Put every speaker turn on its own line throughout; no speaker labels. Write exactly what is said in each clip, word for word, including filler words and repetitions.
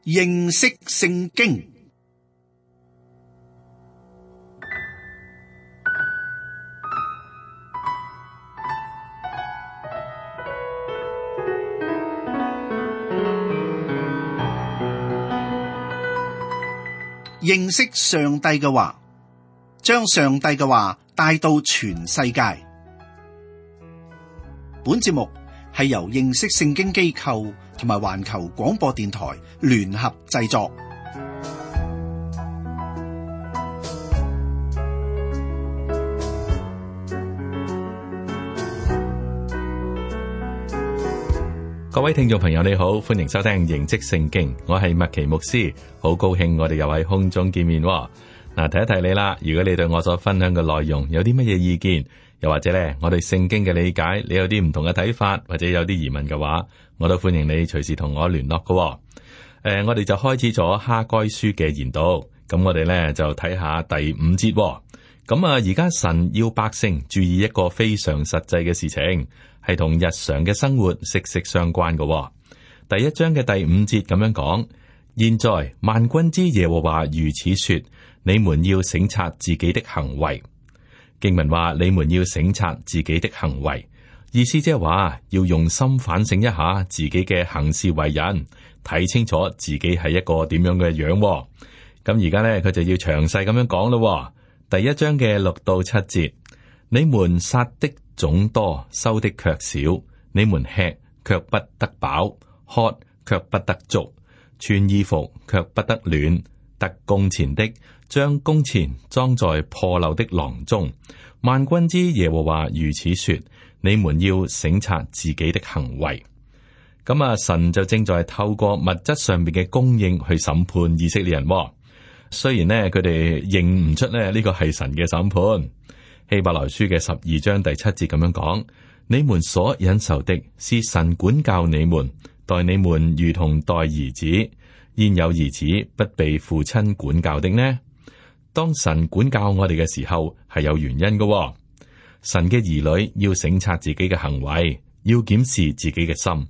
認識聖經。認識上帝嘅話，將上帝嘅話帶到全世界。本節目係由認識聖經機構同埋環球廣播電台聯合製作。
各位聽眾朋友你好，歡迎收聽認識聖經，我係麥奇牧師，好高興我哋又喺空中見面。嗱，提一提你啦，如果你對我所分享嘅內容有啲乜嘢意見，又或者咧我對聖經嘅理解，你有啲唔同嘅睇法，或者有啲疑問嘅話，我都歡迎你隨時同我聯絡嘅。誒、呃，我哋就開始咗哈該書嘅研讀，咁我哋咧就睇下第五節。咁啊，而家神要百姓注意一個非常實際嘅事情，係同日常嘅生活息息相關嘅、哦。第一章嘅第五節咁樣講：現在萬軍之耶和華如此說，你們要省察自己的行為。經文話你們要省察自己的行為，意思即係話要用心反省一下自己嘅行事為人，睇清楚自己係一個點樣嘅樣、哦。咁而家咧佢就要詳細咁樣講咯。第一章嘅六到七節，你們撒的種多，收的卻少，你們吃卻不得飽，喝卻不得足，穿衣服卻不得暖，得工錢的將工錢裝在破漏的囊中。萬軍之耶和華如此說，你們要省察自己的行為。咁啊，神就正在透過物質上面嘅供應去審判以色列人。雖然呢，佢哋認唔出咧呢個係神嘅審判。希伯來書嘅十二章第七節咁樣講：你們所忍受的是神管教你們，待你們如同待兒子。焉有兒子不被父親管教的呢？當神管教我哋嘅時候，係有原因嘅。神嘅兒女要省察自己嘅行為，要檢視自己嘅心。誒、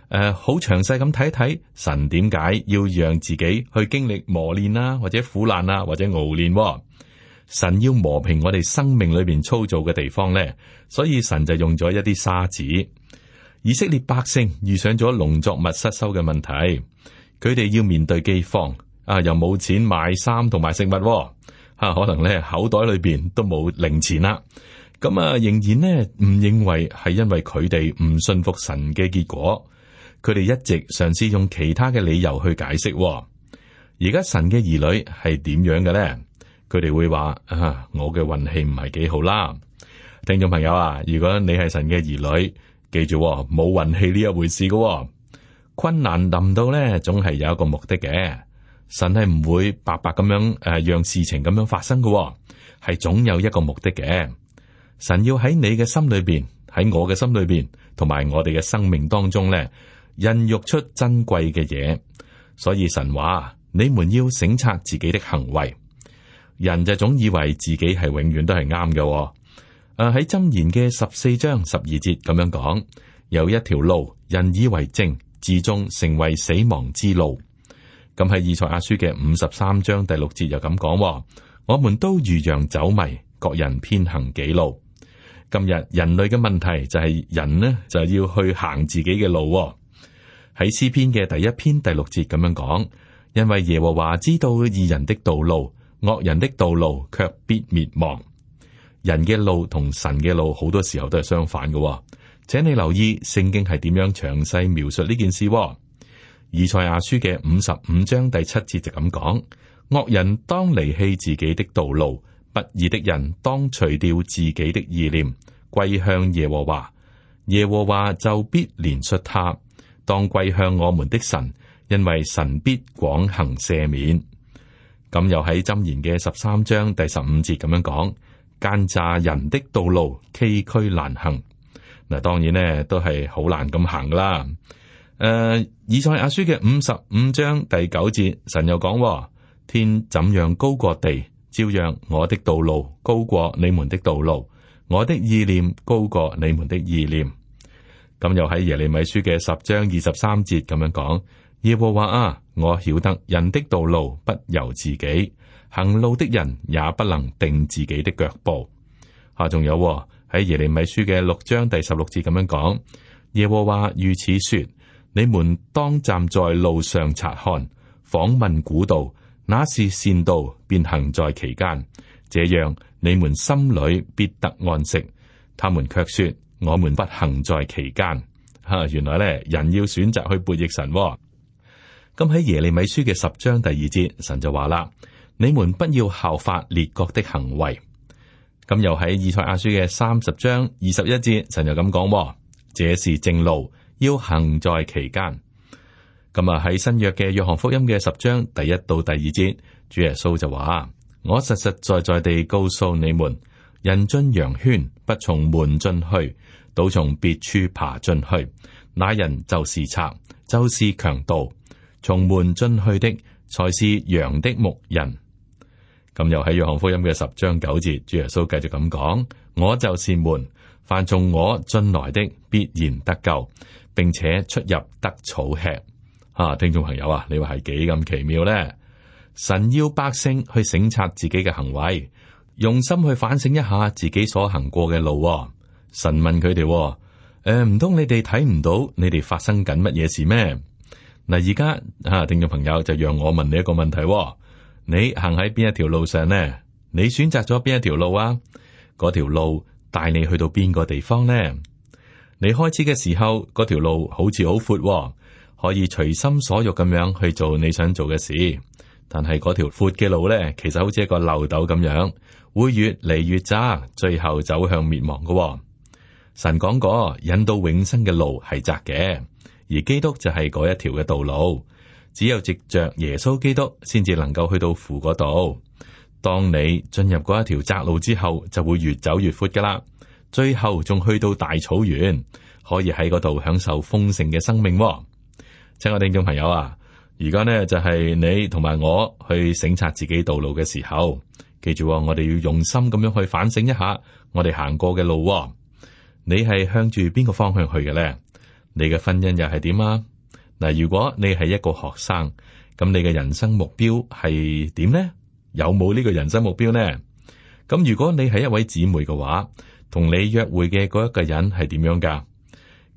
呃，好詳細咁睇睇神點解要讓自己去經歷磨練啊，或者苦難啊，或者熬練。神要磨平我哋生命裏邊粗糙嘅地方咧，所以神就用咗一啲沙子。以色列百姓遇上咗農作物失收嘅問題，佢哋要面對饑荒啊，又冇錢買衫同埋食物，吓、啊、可能咧口袋裏邊都冇零錢啦。咁啊，仍然呢唔認為係因為佢哋唔信服神嘅結果，佢哋一直嘗試用其他嘅理由去解釋。而家神嘅兒女係點樣嘅咧？佢哋會話啊，我嘅運氣唔係幾好啦。聽眾朋友啊，如果你係神嘅兒女，記住冇運氣呢一回事嘅。困難臨到咧，總係有一個目的嘅。神係唔會白白咁樣誒，讓事情咁樣發生嘅，係總有一個目的嘅。神要喺你嘅心裏邊，喺我嘅心裏邊，同埋我哋嘅生命當中咧，孕育出珍貴嘅嘢。所以神話你們要省察自己的行為。人就總以為自己係永遠都係啱嘅。誒、啊，喺箴言嘅十四章十二節咁樣講，有一條路，人以為正，至終成為死亡之路。咁喺以賽亞書嘅五十三章第六節又咁講，我們都如羊走迷，各人偏行己路。今日人類嘅問題就係人呢就要去行自己嘅路。喺詩篇嘅第一篇第六節咁樣講，因為耶和華知道義人的道路，惡人的道路卻必滅亡。人嘅路同神嘅路好多時候都係相反嘅，請你留意聖經係點樣詳細描述呢件事。以賽亞書嘅五十五章第七節就咁講：惡人當離棄自己的道路，不義的人當除掉自己的意念，歸向耶和華，耶和華就必憐恤他。當歸向我們的神，因為神必廣行赦免。咁又喺箴言嘅十三章第十五節咁樣講：奸詐人的道路崎嶇難行。嗱，當然呢都係好難咁行噶啦。誒、呃，以賽亞書嘅五十五章第九節，神又講：天怎樣高過地，照樣我的道路高過你們的道路，我的意念高過你們的意念。咁又喺耶利米書嘅十章二十三節咁樣講：耶和華啊，我曉得人的道路不由自己，行路的人也不能定自己的腳步。啊，仲有喺耶利米書嘅六章第十六節咁樣講，耶和華如此說：你們當站在路上察看，訪問古道，那是善道，便行在其間，這樣你們心裏必得安息。他們卻說：我們不行在其間。吓、啊，原來咧人要選擇去背逆神、哦。咁喺耶利米書嘅十章第二節，神就話啦：你們不要效法列國的行為。咁又喺以賽亞書嘅三十章二十一節，神就咁講：這是正路，要行在其間。咁啊喺新約嘅約翰福音嘅十章第一到第二節，主耶穌就話：我實實在在地告訴你們，人進羊圈不從門進去，倒從別處爬進去，那人就是賊，就是強盜。從門進去的才是羊的牧人。咁又喺約翰福音嘅十章九節，主耶穌繼續咁講：我就是門，凡從我進來的必然得救，並且出入得草吃。啊，聽眾朋友啊，你話係幾咁奇妙呢？神要百姓去省察自己嘅行為，用心去反省一下自己所行過嘅路。神問佢哋：誒、呃，唔通你哋睇唔到你哋發生緊乜嘢事咩？嗱，而家啊，聽眾朋友就讓我問你一個問題。你行喺邊一條路上呢？你選擇咗邊一條路啊？嗰條路帶你去到邊個地方呢？你開始嘅時候，嗰條路好似好闊，可以隨心所欲咁樣去做你想做嘅事。但係嗰條闊嘅路呢，其實好似一個漏斗咁樣，會越嚟越窄，最後走向滅亡嘅。神講過，引到永生嘅路係窄嘅，而基督就係嗰一條嘅道路。只有藉着耶穌基督，先至能夠去到父嗰度。當你進入嗰一條窄路之後，就會越走越闊噶啦。最後仲去到大草原，可以喺嗰度享受豐盛嘅生命。親愛聽眾朋友啊，而家呢就係你同埋我去省察自己道路嘅時候，記住我哋要用心咁樣去反省一下我哋行過嘅路。你係向住邊個方向去嘅呢？你嘅婚姻又係點啊？嗱，如果你係一個學生，咁你嘅人生目標係點呢？有冇呢個人生目標呢？咁如果你係一位姊妹嘅話，同你約會嘅嗰一個人係點樣噶？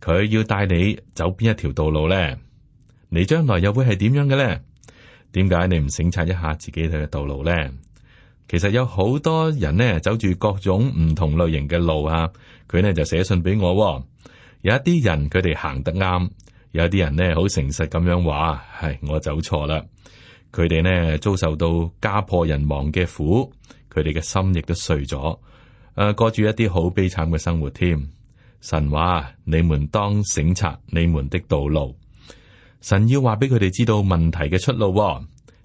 佢要帶你走邊一條道路呢？你將來又會係點樣嘅呢？點解你唔省察一下自己嘅道路呢？其實有好多人呢，走住各種唔同類型嘅路啊，佢呢就寫信俾我。有一啲人佢哋行得啱。有啲人呢，好誠實咁樣話，係我走錯啦。佢哋呢，遭受到家破人亡嘅苦，佢哋嘅心亦都碎咗，誒、呃，過住一啲好悲慘嘅生活添。神話你們當省察你們的道路，神要話俾佢哋知道問題嘅出路。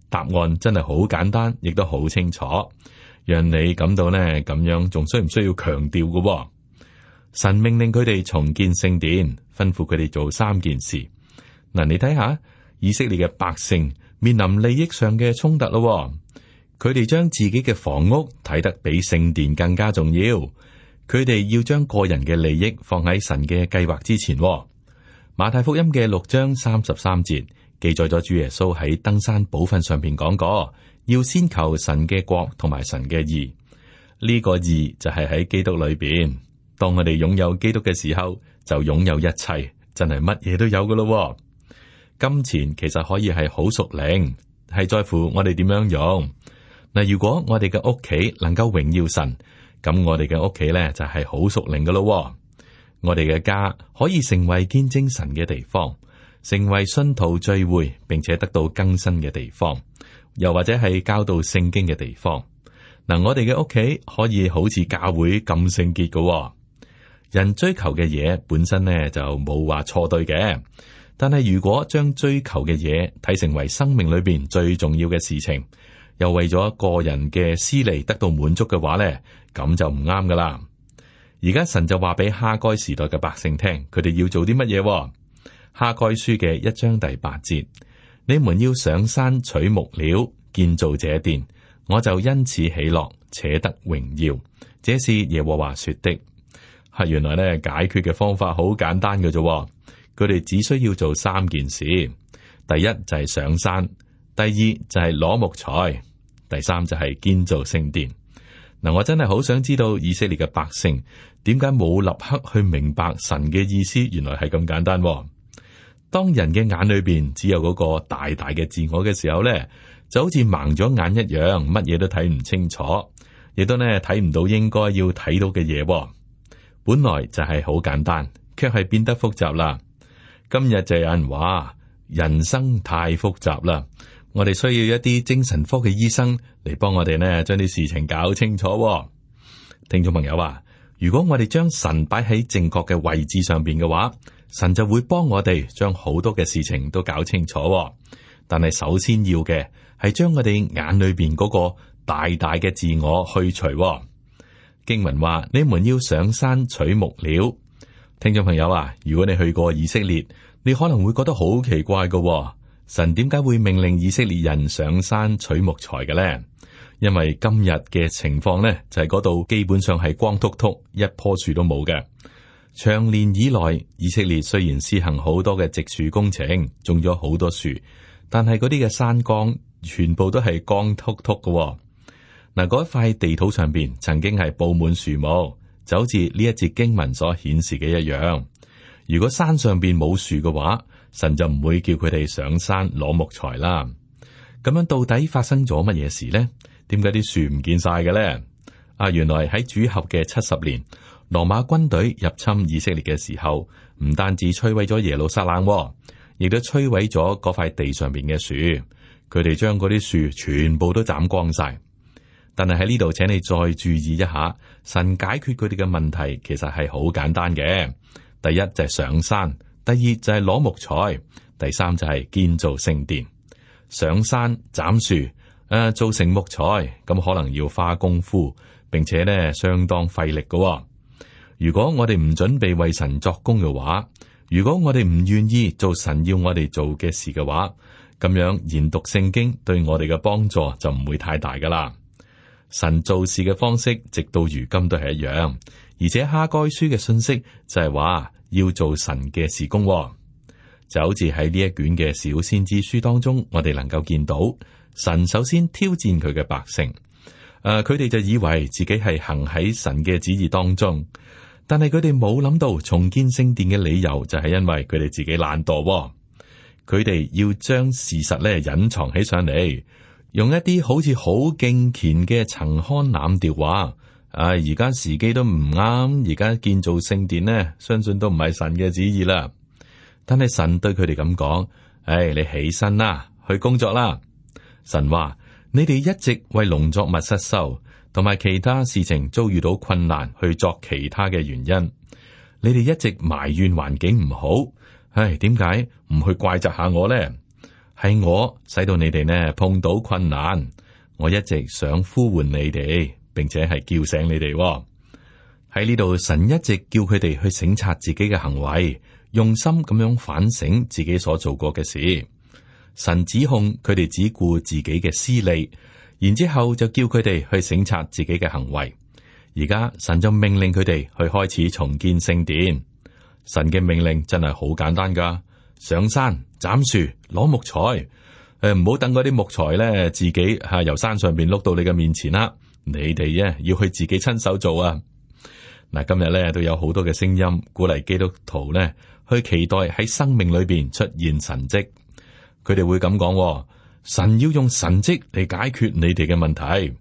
答案真係好簡單，亦都好清楚，讓你感到呢咁樣，仲需唔需要強調嘅？神命令佢哋重建聖殿，吩咐佢哋做三件事。嗱，你睇下以色列嘅百姓面臨利益上嘅衝突咯，佢哋將自己嘅房屋睇得比聖殿更加重要，佢哋要將個人嘅利益放喺神嘅計劃之前。馬太福音嘅六章三十三節記載咗主耶穌喺登山寶訓上邊講過，要先求神嘅國同埋神嘅義。呢個義就係喺基督裏邊。當我哋擁有基督嘅時候，就擁有一切，真係乜嘢都有噶咯。金錢其實可以係好屬靈，係在乎我哋點樣用。嗱，如果我哋嘅屋企能夠榮耀神，咁我哋嘅屋企咧就係好屬靈噶咯。我哋嘅家可以成為見證神嘅地方，成為信徒聚會並且得到更新嘅地方，又或者係教導聖經嘅地方。嗱，我哋嘅屋企可以好似教會咁聖潔噶。人追求嘅嘢本身呢就冇話錯對嘅，但係如果將追求嘅嘢睇成為生命裏邊最重要嘅事情，又為咗個人嘅私利得到滿足嘅話呢，咁就唔啱噶啦。而家神就話俾哈該時代嘅百姓聽，佢哋要做啲乜嘢？哈該書嘅一章第八節，你們要上山取木料建造這殿，我就因此喜樂，且得榮耀。這是耶和華說的。係原來咧解決嘅方法好簡單嘅啫，佢哋只需要做三件事。第一就係上山，第二就係攞木材，第三就係建造聖殿。嗱，我真係好想知道以色列嘅百姓點解冇立刻去明白神嘅意思，原來係咁簡單。當人嘅眼裏邊只有嗰個大大嘅自我嘅時候咧，就好似盲咗眼一樣，乜嘢都睇唔清楚，亦都咧睇唔到應該要睇到嘅嘢。本來就係好簡單，卻係變得複雜啦。今日就有人話人生太複雜啦，我哋需要一啲精神科嘅醫生嚟幫我哋呢將啲事情搞清楚。聽眾朋友啊，如果我哋將神擺喺正確嘅位置上邊嘅話，神就會幫我哋將好多嘅事情都搞清楚。但係首先要嘅係將我哋眼裏邊嗰個大大嘅自我去除。經文話：你們要上山取木料。聽眾朋友啊，如果你去過以色列，你可能會覺得好奇怪嘅，神點解會命令以色列人上山取木材嘅咧？因為今日嘅情況咧，就係嗰度基本上係光禿禿，一棵樹都冇嘅。長年以來，以色列雖然施行好多嘅植樹工程，種咗好多樹，但係嗰啲嘅山崗全部都係光禿禿嘅。嗱，嗰一塊地土上邊曾經係布滿樹木，就好似呢一節經文所顯示嘅一樣。如果山上邊冇樹嘅話，神就唔會叫佢哋上山攞木材啦。咁樣到底發生咗乜嘢事呢？點解啲樹唔見晒嘅咧？啊，原來喺主後嘅七十年，羅馬軍隊入侵以色列嘅時候，唔單止摧毀咗耶路撒冷，亦都摧毀咗嗰塊地上邊嘅樹。佢哋將嗰啲樹全部都斬光晒。但係喺呢度，請你再注意一下，神解決佢哋嘅問題其實係好簡單嘅。第一就係上山，第二就係攞木材，第三就係建造聖殿。上山斬樹，誒、呃，做成木材，咁可能要花功夫，並且咧相當費力嘅、哦。如果我哋唔準備為神作工嘅話，如果我哋唔願意做神要我哋做嘅事嘅話，咁樣研讀聖經對我哋嘅幫助就唔會太大噶啦。神做事嘅方式，直到如今都係一樣，而且哈該書嘅信息就係話要做神嘅事工、哦，就好似喺呢一卷嘅小先知書當中，我哋能夠見到神首先挑戰佢嘅百姓，誒、呃，佢哋就以為自己係行喺神嘅旨意當中，但係佢哋冇諗到重建聖殿嘅理由就係因為佢哋自己懶惰、哦，佢哋要將事實咧隱藏起上嚟。用一啲好似好敬虔嘅陳腔濫調話，啊，而家時機都唔啱，而家建造聖殿呢，相信都唔係神嘅旨意啦。但係神對佢哋咁講：唉、哎，你起身啦，去工作啦。神話你哋一直為農作物失收，同埋其他事情遭遇到困難，去作其他嘅原因。你哋一直埋怨環境唔好，唉，點解唔去怪責下我呢？係我使到你哋呢碰到困難，我一直想呼喚你哋，並且係叫醒你哋喎。喺呢度，神一直叫佢哋去省察自己嘅行為，用心咁樣反省自己所做過嘅事。神指控佢哋只顧自己嘅私利，然之後就叫佢哋去省察自己嘅行為。而家神就命令佢哋去開始重建聖殿。神嘅命令真係好簡單噶。上山斬樹攞木材，誒、呃，唔好等嗰啲木材咧自己吓、啊、由山上邊碌到你嘅面前啦。你哋咧要去自己親手做啊！嗱，今日咧都有好多嘅聲音鼓勵基督徒咧去期待喺生命裏邊出現神蹟。佢哋會咁講：神要用神蹟嚟解決你哋嘅問題。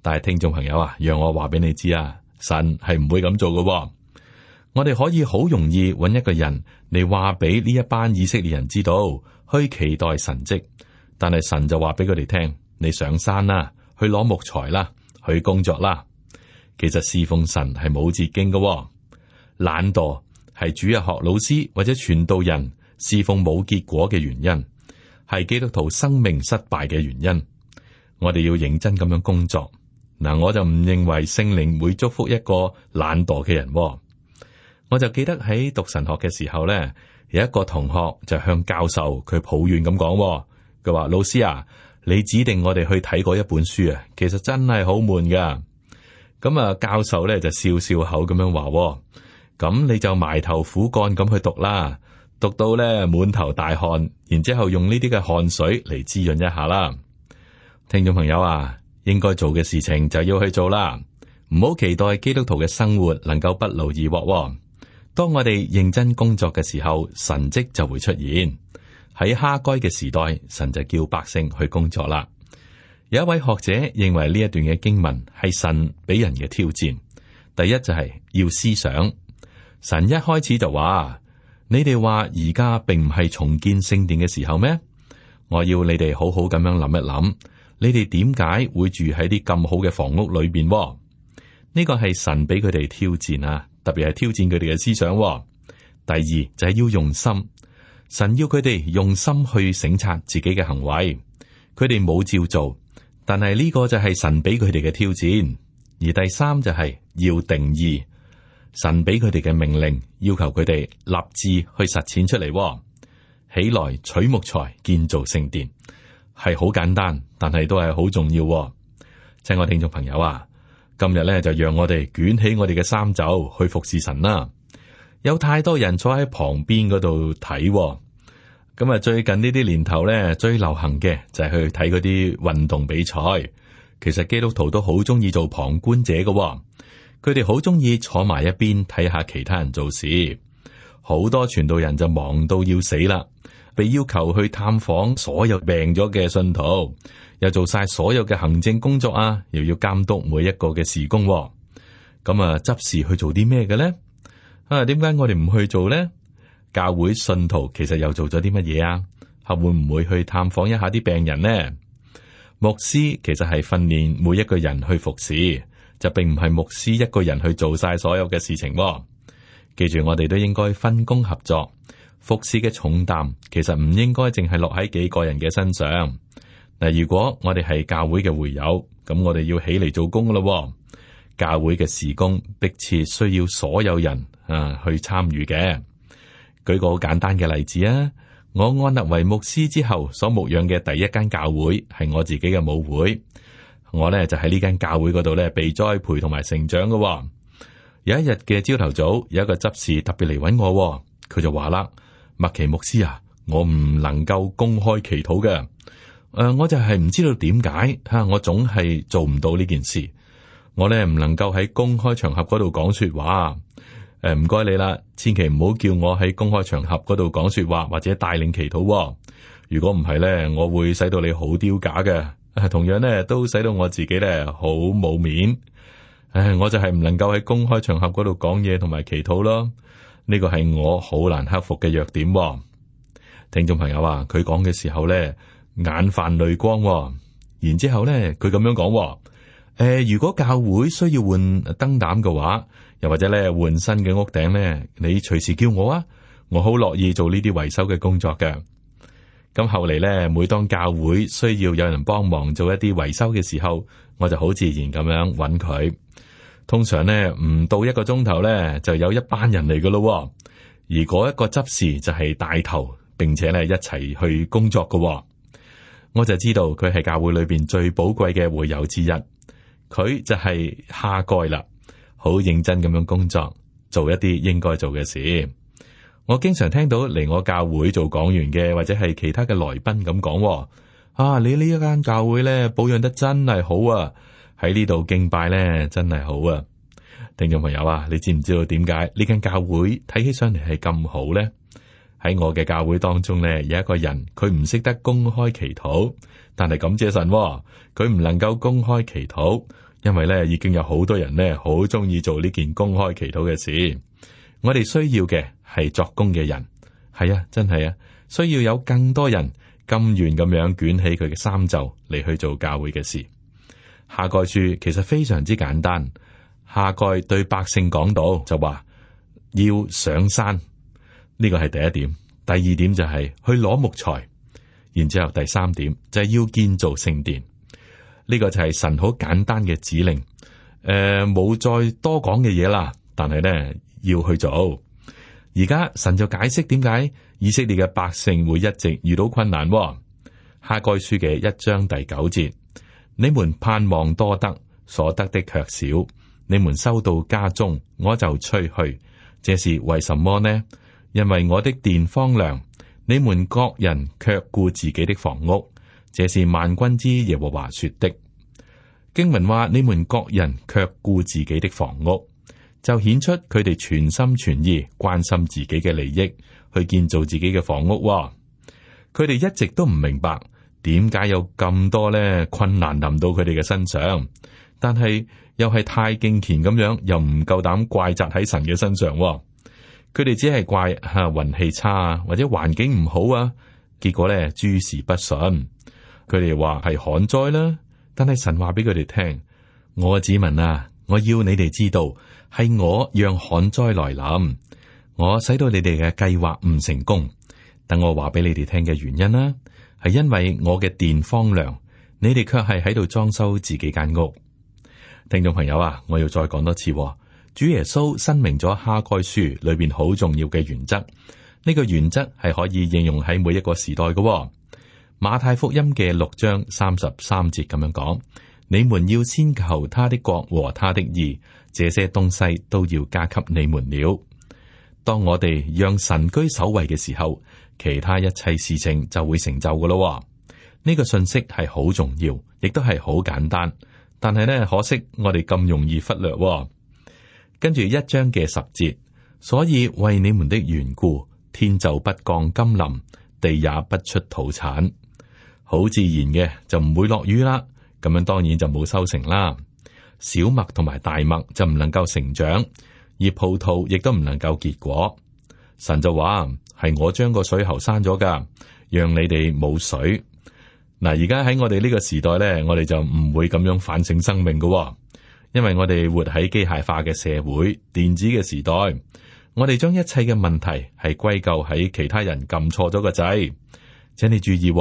但係聽眾朋友啊，讓我話俾你知啊，神係唔會咁做嘅。我哋可以好容易揾一個人嚟話俾呢一班以色列人知道，去期待神蹟。但係神就話俾佢哋聽：你上山啦，去攞木材啦，去工作啦。其實侍奉神係冇捷徑嘅，懶惰係主日學老師或者傳道人侍奉冇結果嘅原因，係基督徒生命失敗嘅原因。我哋要認真咁樣工作。嗱，我就唔認為聖靈會祝福一個懶惰嘅人。我就記得喺讀神學嘅時候咧，有一個同學就向教授佢抱怨咁講，佢話：老師啊，你指定我哋去睇嗰一本書啊，其實真係好悶噶。咁啊，教授咧就笑笑口咁樣話：咁你就埋頭苦幹咁去讀啦，讀到咧滿頭大汗，然之後用呢啲嘅汗水嚟滋潤一下啦。聽眾朋友啊，應該做嘅事情就要去做啦，唔好期待基督徒嘅生活能夠不勞而獲。當我哋認真工作嘅時候，神蹟就會出現。喺哈該嘅時代，神就叫百姓去工作啦。有一位學者認為呢一段嘅經文係神俾人嘅挑戰。第一就係要思想，神一開始就話：你哋話而家並唔係重建聖殿嘅時候咩？我要你哋好好咁樣諗一諗，你哋點解會住喺啲咁好嘅房屋裏邊？呢個係神俾佢哋挑戰啊，特別係挑戰佢哋嘅思想。第二就係要用心，神要佢哋用心去省察自己嘅行為，佢哋冇照做，但係呢個就係神俾佢哋嘅挑戰。而第三就係要定義，神俾佢哋嘅命令，要求佢哋立志去實踐出嚟。起來取木材建造聖殿，係好簡單，但係都係好重要。親愛聽眾朋友啊，今日咧就讓我哋捲起我哋嘅衫袖去服侍神啦。有太多人坐喺旁邊嗰度睇，咁啊最近呢啲年頭咧最流行嘅就係去睇嗰啲運動比賽。其實基督徒都好中意做旁觀者嘅，佢哋好中意坐埋一邊睇下其他人做事。好多傳道人就忙到要死啦，被要求去探訪所有病咗嘅信徒，又做晒所有嘅行政工作啊，又要監督每一個嘅事工。咁啊，執事去做啲咩嘅咧？啊，點解我哋唔去做咧？教會信徒其實又做咗啲乜嘢啊？係會唔會去探訪一下啲病人呢？牧師其實係訓練每一個人去服侍，就並唔係牧師一個人去做晒所有嘅事情。記住，我哋都應該分工合作，服侍嘅重擔其實唔應該淨係落喺幾個人嘅身上。嗱，如果我哋係教會嘅會友，咁我哋要起嚟做工噶咯。教會嘅事工迫切需要所有人啊去參與嘅。舉個好簡單嘅例子啊。我按立為牧師之後所牧養嘅第一間教會係我自己嘅母會，我咧就喺呢間教會嗰度咧被栽培同埋成長嘅。有一日嘅朝頭早，有一個執事特別嚟搵我，佢就話啦：麥奇牧師啊，我唔能夠公開祈禱嘅，誒、呃，我就係唔知道點解吓，我總係做唔到呢件事，我咧唔能夠喺公開場合嗰度講說話。誒，唔該你啦，千祈唔好叫我喺公開場合嗰度講說話或者帶領祈禱。如果唔係咧，我會使到你好丟架嘅，同樣咧都使到我自己咧好冇面。唉，我就係唔能夠喺公開場合嗰度講嘢同埋祈禱咯。呢個係我好難克服嘅弱點。聽眾朋友啊，佢講嘅時候咧眼泛淚光，然之後咧佢咁樣講。誒，如果教會需要換燈膽嘅話，又或者咧換新嘅屋頂咧，你隨時叫我啊，我好樂意做呢啲維修嘅工作嘅。咁後嚟咧，每當教會需要有人幫忙做一啲維修嘅時候，我就好自然咁樣揾佢。通常咧唔到一個鐘頭咧，就有一班人嚟噶咯。而嗰一個執事就係帶頭，並且咧一齊去工作噶。我就知道佢係教會裏邊最寶貴嘅會友之一。佢就係哈該啦，好認真咁樣工作，做一啲應該做嘅事。我經常聽到嚟我教會做講員嘅或者係其他嘅來賓咁講，啊，你呢一間教會咧保養得真係好啊，喺呢度敬拜咧真係好啊。聽眾朋友啊，你知唔知道點解呢間教會睇起上嚟係咁好咧？喺我嘅教會當中咧，有一個人佢唔識得公開祈禱，但係感謝神，佢唔能夠公開祈禱，因為咧已經有好多人咧好中意做呢件公開祈禱嘅事。我哋需要嘅係作工嘅人，係啊，真係啊，需要有更多人甘願咁樣捲起佢嘅衫袖嚟去做教會嘅事。哈該書其實非常之簡單，哈該對百姓講到就話要上山。呢個係第一點，第二點就係去攞木材，然之後第三點就係要建造聖殿。呢個就係神好簡單嘅指令，誒、呃，冇再多講嘅嘢啦。但係咧要去做。而家神就解釋點解以色列嘅百姓會一直遇到困難。哈該書嘅一章第九節，你們盼望多得，所得的卻少；你們收到家中，我就吹去，這是為什麼呢？因為我的殿荒涼，你們各人卻顧自己的房屋，這是萬軍之耶和華說的。經文話你們各人卻顧自己的房屋，就顯出佢哋全心全意關心自己嘅利益，去建造自己嘅房屋。佢哋一直都唔明白點解有咁多咧困難臨到佢哋嘅身上，但係又係太敬虔咁樣，又唔夠膽怪責喺神嘅身上。佢哋只係怪吓運氣差啊，或者環境唔好啊，結果咧諸事不順。佢哋話係旱災啦，但係神話俾佢哋聽：我嘅子民啊，我要你哋知道，係我讓旱災來臨，我使到你哋嘅計劃唔成功。等我話俾你哋聽嘅原因啦，係因為我嘅殿荒涼，你哋卻係喺度裝修自己間屋。聽眾朋友啊，我要再講多次，主耶穌申明咗哈該書裏邊好重要嘅原則，呢個原則係可以應用喺每一個時代嘅。馬太福音嘅六章三十三節咁樣講：你們要先求他的國和他的義，這些東西都要加給你們了。當我哋讓神居首位嘅時候，其他一切事情就會成就嘅咯。呢個信息係好重要，亦都係好簡單，但係呢，可惜我哋咁容易忽略。跟住一章嘅十節，所以為你們的緣故，天就不降甘霖，地也不出土產。好自然嘅就唔會落雨啦，咁樣當然就冇收成啦。小麥同埋大麥就唔能夠成長，而葡萄亦都唔能夠結果。神就話係我將個水喉閂咗噶，讓你哋冇水。嗱，而家喺我哋呢個時代咧，我哋就唔會咁樣反省生命噶，因為我哋活喺機械化嘅社會、電子嘅時代，我哋將一切嘅問題係歸咎喺其他人撳錯咗個掣。請你注意，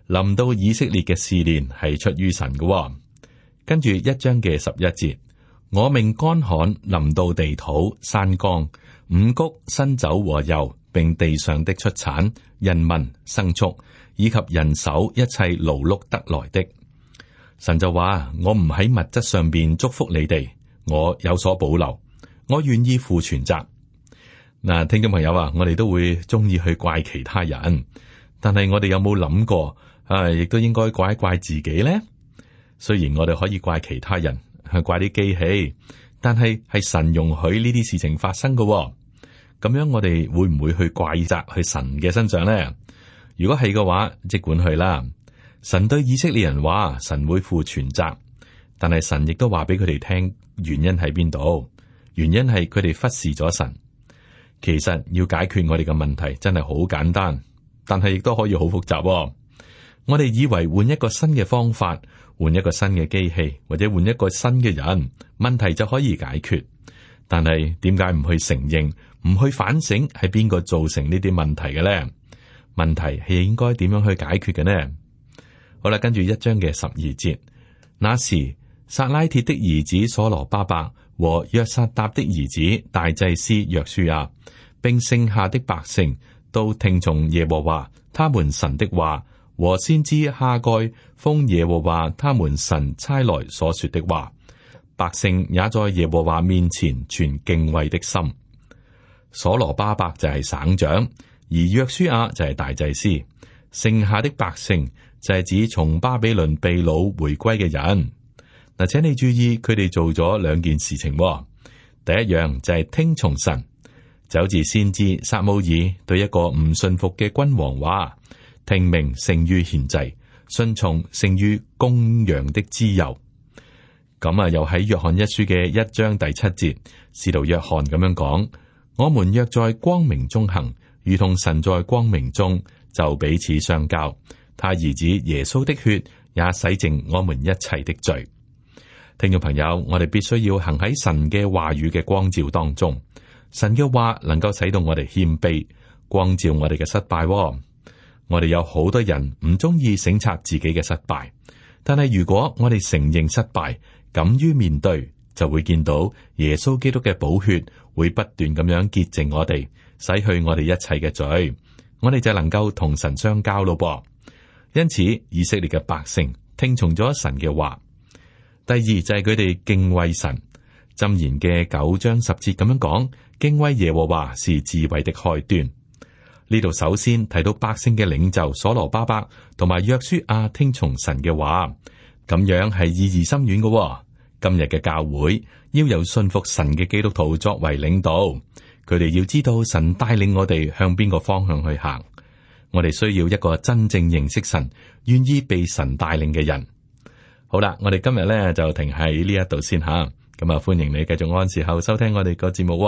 臨到以色列嘅試煉係出於神嘅。跟住一章嘅十一節，我命乾旱臨到地土、山岡、五穀、新酒和油，並地上的出產、人民、牲畜以及人手一切勞碌得來的。神就話：我唔喺物質上邊祝福你哋，我有所保留，我願意負全責。嗱，聽眾朋友啊，我哋都會中意去怪其他人，但係我哋有冇諗過啊？亦都應該怪一怪自己咧。雖然我哋可以怪其他人，去怪啲機器，但係係神容許呢啲事情發生嘅。咁樣我哋會唔會去怪責去神嘅身上咧？如果係嘅話，即管去啦。神對以色列人話，神會負全責，但係神亦都話俾佢哋聽原因喺邊度？原因係佢哋忽視咗神。其實要解決我哋嘅問題真係好簡單，但係亦都可以好複雜。我哋以為換一個新嘅方法，換一個新嘅機器，或者換一個新嘅人，問題就可以解決。但係點解唔去承認，唔去反省係邊個造成呢啲問題嘅咧？問題係應該點樣去解決嘅呢？好啦，跟住一章嘅十二節，那時撒拉鐵的兒子所羅巴伯和約撒答的兒子大祭司約書亞，並剩下的百姓都聽從耶和華他們神的話，和先知哈該奉耶和華他們神差來所說的話，百姓也在耶和華面前存敬畏的心。所羅巴伯就係省長，而約書亞就係大祭司，剩下的百姓就係指從巴比倫被擄回歸嘅人。嗱，請你注意，佢哋做咗兩件事情。第一樣就係聽從神，就好似先知撒母耳對一個唔信服嘅君王話：聽命勝於獻祭，順從勝於公羊的脂油。咁啊，又喺約翰一書嘅一章第七節，使徒約翰咁樣講：我們若在光明中行，如同神在光明中，就彼此相交。他兒子耶穌的血也洗淨我們一切的罪。聽眾朋友，我哋必須要行喺神嘅話語嘅光照當中。神嘅話能夠使到我哋謙卑，光照我哋嘅失敗。我哋有好多人唔中意省察自己嘅失敗，但係如果我哋承認失敗，敢於面對，就會見到耶穌基督嘅寶血會不斷咁樣潔淨我哋，洗去我哋一切嘅罪，我哋就能夠同神相交咯噃。因此，以色列嘅百姓聽從咗神嘅話。第二就係佢哋敬畏神。箴言嘅九章十節咁樣講：敬畏耶和華是智慧的開端。呢度首先提到百姓嘅領袖所羅巴伯同埋約書亞聽從神嘅話，咁樣係意義深遠嘅。今日嘅教會要由信服神嘅基督徒作為領導，佢哋要知道神帶領我哋向邊個方向去行。我哋需要一個真正認識神、願意被神帶領嘅人。好啦，我哋今日咧就停喺呢一度先吓，咁啊歡迎你繼續按時候收聽我哋個節目。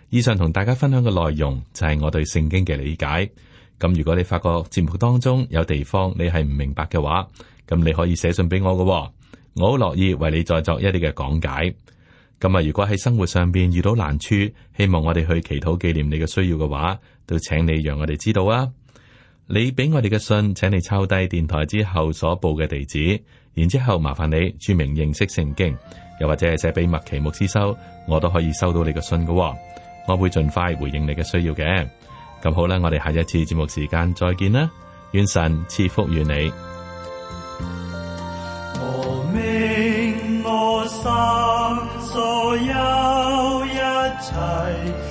以上同大家分享嘅內容就係我對聖經嘅理解。咁如果你發覺節目當中有地方你係唔明白嘅話，咁你可以寫信俾我嘅，我好樂意為你再作一啲嘅講解。咁啊，如果喺生活上邊遇到難處，希望我哋去祈禱紀念你嘅需要嘅話，都請你讓我哋知道啊。你俾我哋嘅信，請你抄低電台之後所報嘅地址。然之後麻煩你注明認識聖經，又或者係寫俾麥奇牧師收，我都可以收到你嘅信嘅。我會盡快回應你嘅需要嘅。咁好啦，我哋下一次節目時間再見啦，願神賜福於你。
我命我心所有一切